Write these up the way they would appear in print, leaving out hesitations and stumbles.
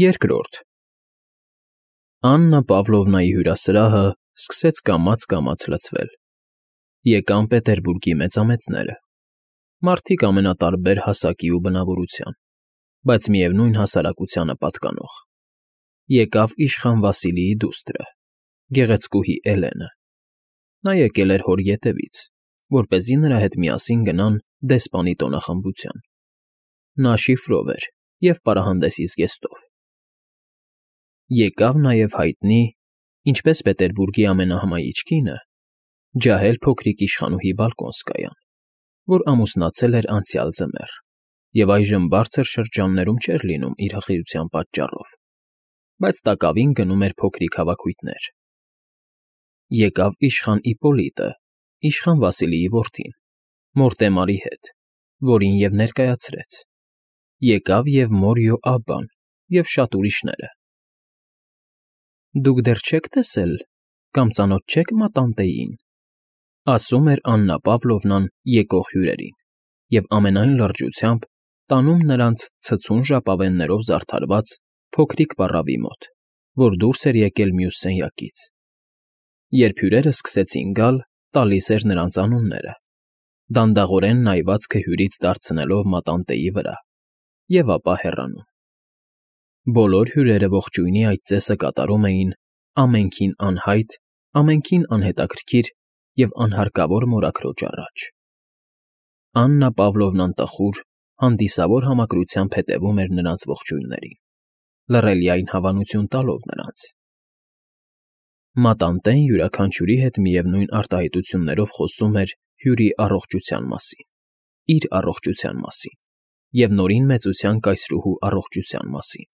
Երկրորդ Աննա Պավլովնայի հյուրասրահը սկսեց կամաց֊կամաց լցվել. եկան Պետերբուրգի մեծամեծները, մարդիկ ամենատարբեր հասակի ու բնավորության, բայց միևնույն հասարակությանը պատկանող. եկավ իշխան Վասիլիի դուստրը, գեղեցկուհի Էլենը. նա եկել էր հոր ետևից, որպեսզի նրա հետ միասին գնան դեսպանի տոնախմբության. նա շիֆրով էր և պարահանդեսի զգեստով. եկավ նաև հայտնի, ինչպես Պետերբուրգի ամենահմայիչ կինը, ջահել փոքրիկ իշխանուհի Բալկոնսկայան, որ ամուսնացել էր անցյալ ձմեռ և այժմ բարձր շրջաններում չէր լինում իր հղիության պատճառով, բայց տակավին գնում էր փոքրիկ հավաքույթներ. եկավ իշխան Իպպոլիտը, իշխան Վասիլիի որդին, Մորտեմարի հետ, որին և ներկայացրեց, եկավ և Մորյո Աբբան և շատ ուրիշները։ Դուք դեռ չեք տեսել կամ ծանոթ չեք մատանտեին, ասում էր Աննա Պավլովնան եկող հյուրերին և ամենայն լրջությամբ տանում նրանց ցցուն ժապավեններով զարդարված փոքրիկ պառավի մոտ, որ դուրս էր եկել մյուս սենյակից. երբ հյուրերն սկսեցին գալ, տալիս էր նրանց անունները, դանդաղորեն նայվածքը հյուրից դարձնելով մատանտեի վրա և ապա հեռանում։ Բոլոր հյուրերը ողջույնի այդ ծեսը կատարում էին ամենքին անհայտ, ամենքին անհետաքրքիր և անհարկավոր մորաքրոջ առաջ։ Աննա Պավլովնան տխուր, հանդիսավոր համակրությամբ հետևում էր նրանց ողջույններին, լռելիայն հավանություն տալով նրանց։ Մատանտեն յուրաքանչյուրի հետ միևնույն արտահայտություններով խոսում էր հյուրի առողջության մասին, իր առողջության մասին և նորին մեծության կայսրուհու առողջության մասին,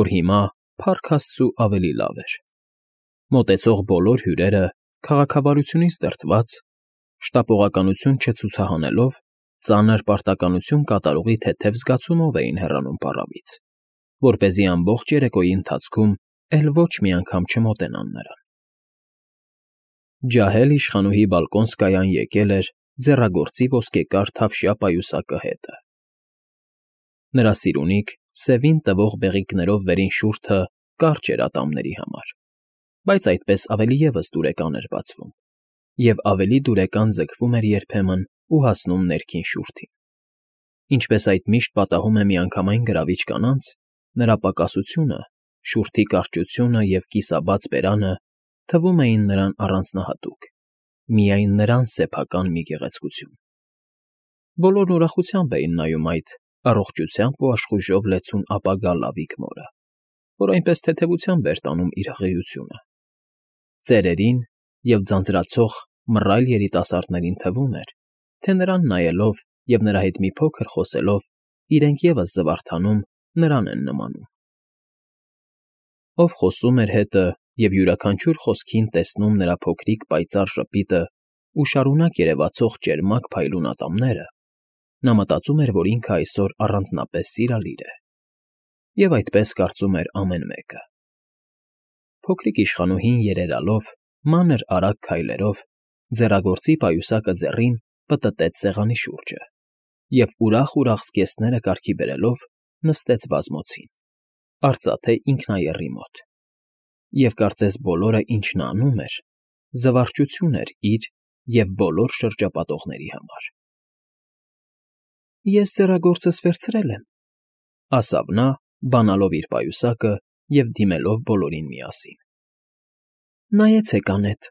որ հիմա, փառք Աստծու, ավելի լավ էր։ Մոտեցող բոլոր հյուրերը, քաղաքավարությունից դրդված, շտապողականություն չցուցահանելով, ծանր պարտականություն կատարողի թեթև զգացումով էին հեռանում պառավից, որպեսզի ամբողջ երեկոյի ընթացքում էլ ոչ մի անգամ չմոտենան նրան։ Ջահել իշխանուհի Բալկոնսկայան եկել էր ձեռագործի ոսկեկար թավշյա պայուսակը հետը։ Նրա սիրունիկ, սևին տվող բեղիկներով վերին շուրթը կարճ էր ատամների համար, բայց այդպես ավելի ևս դուրեկան էր բացվում, և ավելի դուրեկան ձգվում էր երբեմն ու հասնում ներքին շուրթին։ Ինչպես այդ միշտ պատահում է միանգամայն գրավիչ կանանց, նրա պակասությունը, շուրթի կարճությունը և կիսաբաց բերանը թվում էին նրան առանձնահատուկ, միայն նրան սեփական մի գեղեցկություն։ Բոլորն ուրախությամբ էին նայում այդ առողջությամբ ու աշխույժով լեցուն ապագա լավիկ մորը, որ այնպես թեթևությամբ էր տանում իր հղիությունը։ Ծերերին և ձանձրացող մռայլ երիտասարդներին թվում էր, թե նրան նայելով և նրա հետ մի փոքր խոսելով իրենք ևս զվարթանում, նրան են նմանում։ Ով խոսում էր հետը և յուրաքանչյուր խոսքին տեսնում նրա փոքրիկ պայծառ ժպիտն ու շարունակ երևացող ճերմակ փայլուն ատամները, նա մտածում էր, որ ինքը այսօր առանձնապես սիրալիր է։ Եվ այդպես կարծում էր ամեն մեկը։ Փոքրիկ իշխանուհին երերալով, մանր արագ քայլերով, ձեռագործի պայուսակը ձեռին պտտեց սեղանի շուրջը և ուրախ֊ուրախ զգեստները կարգի բերելով նստեց բազմոցին, արծաթե ինքնաեռի մոտ, և կարծես բոլորը, ինչ նա անում էր, զվարճություն էր իր և բոլոր շրջապատողների համար։ «Ես ձեռագործս վերցրել եմ,֊ ասավ նա, բանալով իր պայուսակը և դիմելով բոլորին միասին։ Նայեցեք անետ,֊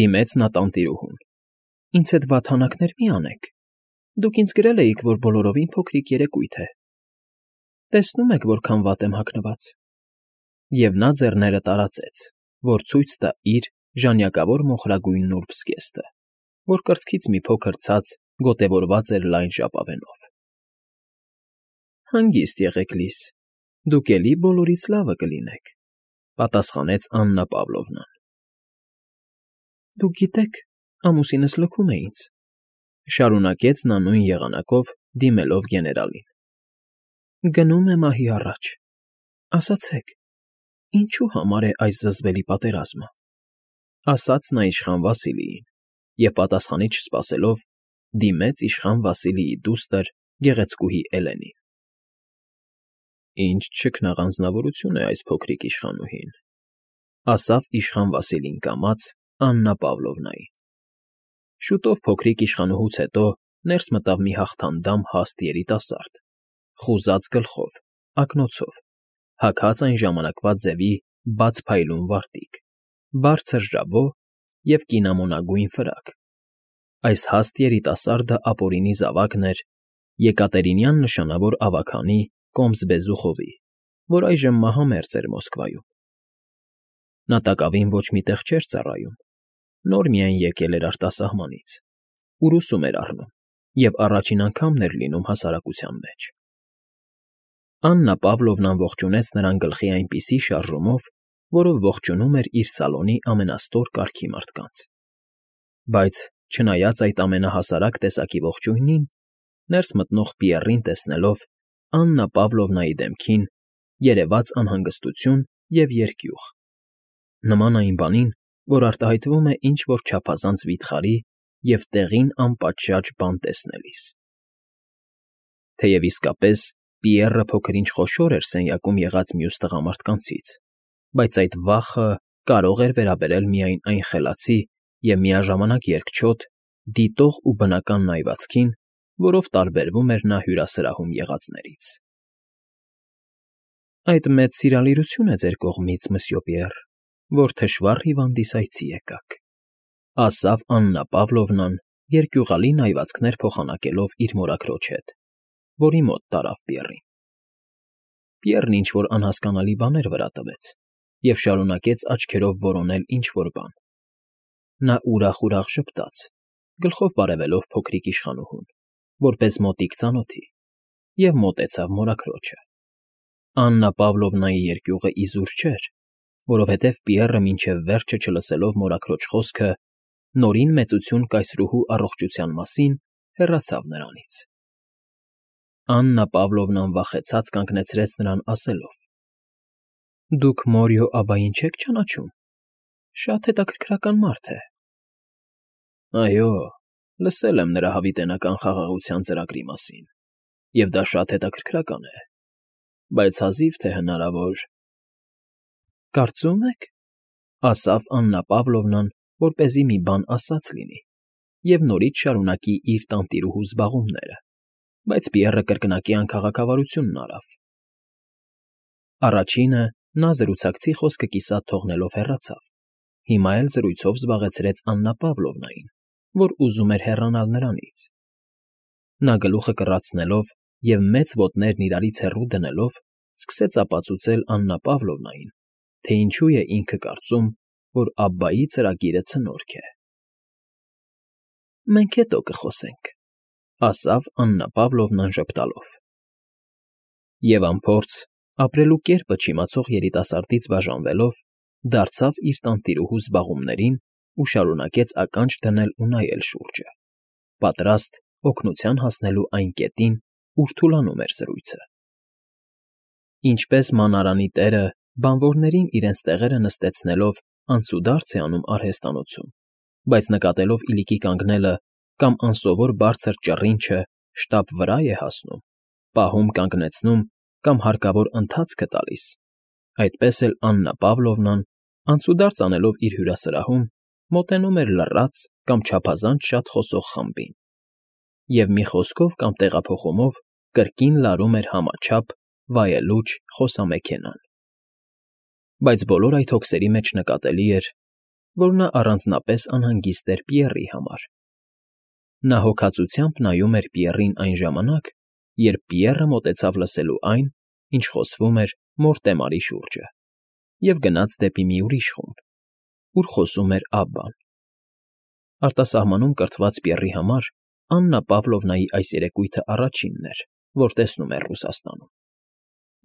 դիմեց նա տանտիրուհուն,֊ ինձ հետ վատհանակներ մի անեք, դուք ինձ գրել էիք, որ բոլորովին փոքրիկ երեկույթ է, տեսնում եք որքան վատ եմ հագնված։ Եվ նա ձեռները տարածեց, որ ցույց տա իր ժանյակավոր մոխրագույն նուրբ զգեստը, որ կրծքից մի փոքր ցած գոտևորված էր լայն ժապավենով։ Հանգիստ եղեք, Լիզ, դուք էլի բոլորից լավը կլինեք,֊ պատասխանեց Աննա Պավլովնան։ Դուք գիտեք, ամուսինս լքում է ինձ,֊ շարունակեց նա նույն եղանակով, դիմելով գեներալին։ Գնում է մահի առաջ, ասացեք, ինչու համար է այս զզվելի պատերազմը,֊ ասաց նա իշխան Վասիլիին և պատասխանի չսպասելով, դիմեց իշխան Վասիլիի դուստր գեղեցկուհի Էլենին։ Ինչ չքնաղանձնավորություն է այս փոքրիկ իշխանուհին,֊ ասավ իշխան Վասիլին կամաց Աննա Պավլովնային։ Շուտով փոքրիկ իշխանուհուց հետո ներս մտավ մի հաղթանդամ հաստ երիտասարդ, խուզած գլխով, ակնոցով, հագած այն ժամանակվա ձևի բաց փայլուն վարտիք, բարձր ժաբո և կինամոնագույն ֆրակ։ Այս հաստ երիտասարդը ապօրինի զավակն էր Եկատերինյան նշանավոր ավագանի Կոմս Բեզուխովի, որ այժմ մահամերձ էր Մոսկվայում։ Նա տակավին ոչ մի տեղ չէր ծառայում, նոր միայն եկել էր արտասահմանից, ուր ուսում էր առնում և առաջին անգամն էր լինում հասարակության մեջ։ Աննա Պավլովնան ողջունեց նրան գլխի այնպիսի շարժումով, որով ողջունում էր իր սալոնի ամենաստոր կարգի մարդկանց։ Բայց, չնայած այդ ամենահասարակ տեսակի ողջույնին, ներս մտնող Պիեռին տեսնելով, Աննա Պավլովնայի դեմքին երևաց անհանգստություն և երկյուղ, նման այն բանին, որ արտահայտվում է ինչ֊որ չափազանց վիթխարի և տեղին անպատշաճ բան տեսնելիս։ Թեև իսկապես Պիեռը փոքր-ինչ խոշոր էր սենյակում եղած մյուս տղամարդկանցից, բայց այդ վախը կարող էր վերաբերել միայն այն խելացի և միաժամանակ երկչոտ, դիտող ու բնական նայվածքին, որով տարբերվում էր նա հյուրասրահում եղածներից։ Այդ մեծ սիրալիրություն է ձեր կողմից, մսյո Պիեռ, որ թշվառ հիվանդիսայցի եկաք,֊ ասավ Աննա Պավլովնան, երկյուղալի նայվածքներ փոխանակելով իր մորաքրոջ հետ, որի մոտ տարավ Պիեռին։ Պիեռն ինչ֊որ անհասկանալի բաներ վրա տվեց և շարունակեց աչքերով որոնել ինչ֊որ բան։ Նա ուրախ֊ուրախ ժպտաց, գլխով բարևելով փոքրիկ իշխանուհուն, որպես մոտիկ ծանոթի, և մոտեցավ մորաքրոջը։ Աննա Պավլովնայի երկյուղը իզուր չէր, որովհետև Պիեռը մինչև վերջը չլսելով մորաքրոջ խոսքը նորին մեծություն կայսրուհու առողջության մասին, հեռացավ նրանից։ Աննա Պավլովնան վախեցած կանգնեցրեց նրան ասելով. «Դուք Մորիո աբային չեք ճանաչում, շատ հետաքրքրական մարդ է»։ «Այո, լսել եմ նրա հավիտենական խաղաղության ծրագրի մասին, և դա շատ հետաքրքրական է, բայց հազիվ թե հնարավոր»։ «Կարծում եք,֊ ասավ Աննա Պավլովնան, որպեսզի մի բան ասած լինի և նորից շարունակի իր տանտիրուհու զբաղումները, բայց Պիեռը կրկնակի անքաղաքավարությունն արավ։ Առաջինը նա զրուցակցի խոսքը կիսատ թողնելով հեռացավ, հիմա էլ զրույցով զբաղեցրեց Աննա Պավլովնային, որ ուզում էր հեռանալ նրանից։ Նա գլուխը կռացնելով և մեծ ոտներն իրարից հեռու դնելով, սկսեց ապացուցել Աննա Պավլովնային, թե ինչու է ինքը կարծում, որ Աբբայի ծրագիրը ցնորք է։ «Մենք հետո կխոսենք,֊ ասավ Աննա Պավլովնան ժպտալով։ Եվ անփորձ, ապրելու կերպը չիմացող երիտասարդից բաժանվելով, դարձավ իր տանտիրուհու զբաղումներին ու շարունակեց ականջ դնել ու նայել շուրջը, պատրաստ օգնության հասնելու այն կետին, ուր թուլանում էր զրույցը։ Ինչպես մանարանի տերը բանվորներին իրենց տեղերը նստեցնելով անցուդարձ է անում արհեստանոցում, բայց նկատելով իլիկի կանգնելը կամ անսովոր բարձր ճռինչը շտապ վրա է հասնում, պահում կանգնեցնում կամ հարկավոր ընթացքը տալիս, այդպես էլ Աննա Պավլովնան, անցուդարձ անելով իր հյուրասրահում, մոտենում էր լռած կամ չափազանց շատ խոսող խմբին և մի խոսքով կամ տեղափոխումով կրկին լարում էր համաչափ, վայելուչ խոսամեքենան։ Բայց բոլոր այդ հոգսերի մեջ նկատելի էր, որ նա առանձնապես անհանգիստ էր Պիեռի համար։ Նա հոգածությամբ նայում էր Պիեռին այն ժամանակ, երբ Պիեռը մոտեցավ լսելու այն, ինչ խոսվում էր Մորտեմարի շուրջը, և գնաց դեպի մի ուրիշ խումբ, ուր խոսում էր Աբբան։ Արտասահմանում կրթված Պիեռի համար Աննա Պավլովնայի այս երեկույթը առաջինն էր, որ տեսնում էր Ռուսաստանում։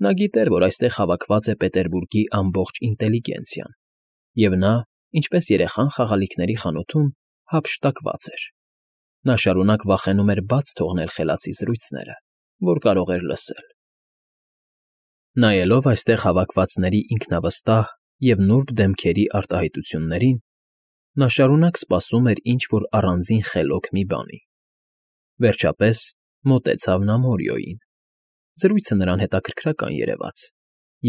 Նա գիտեր, որ այստեղ հավաքված է Պետերբուրգի ամբողջ ինտելիգենցիան, և նա, ինչպես երեխան խաղալիքների խանութում, հափշտակված էր։ Նա շարունակ վախենում էր բաց թողնել խելացի զրույցները, որ կարող էր լսել։ Նայելով այստեղ հավաքվածների ինքնավստահ և նուրբ դեմքերի արտահայտություններին, նա շարունակ սպասում էր ինչ֊որ առանձին խելոք մի բանի։ Վերջապես մոտեցավ նա Մորիոյին։ Զրույցը նրան հետաքրքրական երևաց,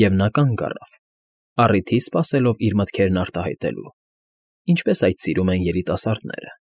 և նա կանգ առավ, առիթի սպասելով իր մտքերն արտահայտելու, ինչպես այդ սիրում են երիտասարդները։